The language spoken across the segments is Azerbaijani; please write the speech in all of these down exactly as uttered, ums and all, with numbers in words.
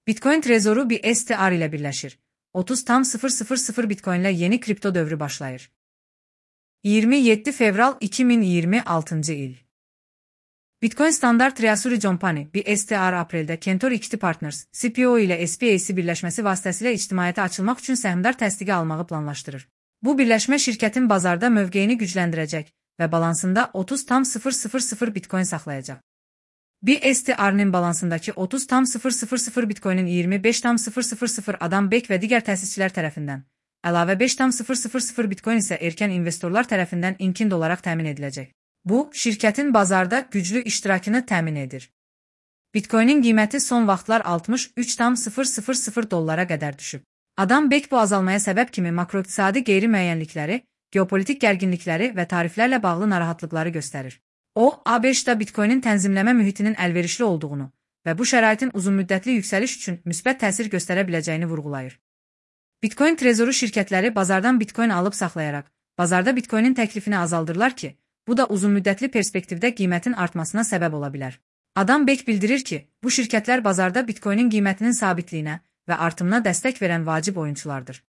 Bitcoin Trezoru B S T R ile birleşir. otuz tam sıfır sıfır sıfır Bitcoin ile yeni kripto dövrü başlayır. yirmi yedi fevral iki min iyirmi altıncı il. Bitcoin Standard Treasury Company B S T R apreldə Cantor Equity Partners C P O ile S P A C birləşməsi vasitəsilə ictimaiyyətə açılmaq üçün səhmdar təsdiqi almağı planlaşdırır. Bu birləşmə şirkətin bazarda mövqeyini gücləndirəcək və balansında otuz tam sıfır sıfır sıfır Bitcoin saxlayacaq. B S T R'nin balansındakı otuz tam sıfır sıfır sıfır Bitcoin'in iyirmi beş tam sıfır sıfır sıfır Adam Beck və digər təsisçilər tərəfindən, əlavə beş tam sıfır sıfır sıfır Bitcoin isə erkən investorlar tərəfindən inkind olaraq təmin ediləcək. Bu, şirkətin bazarda güclü iştirakını təmin edir. Bitcoin'in qiyməti son vaxtlar altmış üç tam sıfır sıfır sıfır dollara qədər düşüb. Adam Beck bu azalmaya səbəb kimi makroiqtisadi qeyri-müəyyənlikləri, geopolitik gərginlikləri və tariflərlə bağlı narahatlıqları göstərir. O, A B Ş-da Bitcoin'in tənzimləmə mühitinin əlverişli olduğunu və bu şəraitin uzunmüddətli yüksəliş üçün müsbət təsir göstərə biləcəyini vurğulayır. Bitcoin Trezoru şirkətləri bazardan Bitcoin alıb saxlayaraq, bazarda Bitcoin'in təklifini azaldırlar ki, bu da uzunmüddətli perspektivdə qiymətin artmasına səbəb ola bilər. Adam Beck bildirir ki, bu şirkətlər bazarda Bitcoin'in qiymətinin sabitliyinə və artımına dəstək verən vacib oyunçulardır.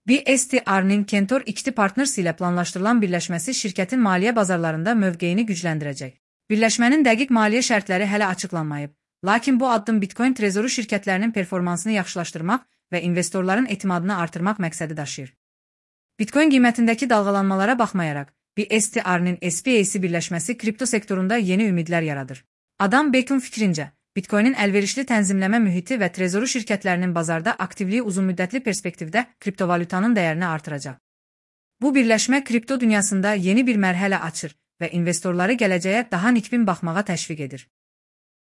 B S T R'nin Cantor Equity Partners ilə planlaşdırılan birləşməsi şirkətin maliyyə bazarlarında mövqeyini gücləndirəcək. Birləşmənin dəqiq maliyyə şərtləri hələ açıqlanmayıb, lakin bu addım Bitcoin Trezoru şirkətlərinin performansını yaxşılaşdırmaq və investorların etimadını artırmaq məqsədi daşıyır. Bitcoin qiymətindəki dalğalanmalara baxmayaraq, B S T R'nin S P A C birləşməsi kripto sektorunda yeni ümidlər yaradır. Adam Beck'in fikrincə, Bitcoin'in əlverişli tənzimləmə mühiti və trezoru şirkətlərinin bazarda aktivliyi uzunmüddətli perspektivdə kriptovalyutanın dəyərini artıracaq. Bu birləşmə kripto dünyasında yeni bir mərhələ açır və investorları gələcəyə daha nikbin baxmağa təşviq edir.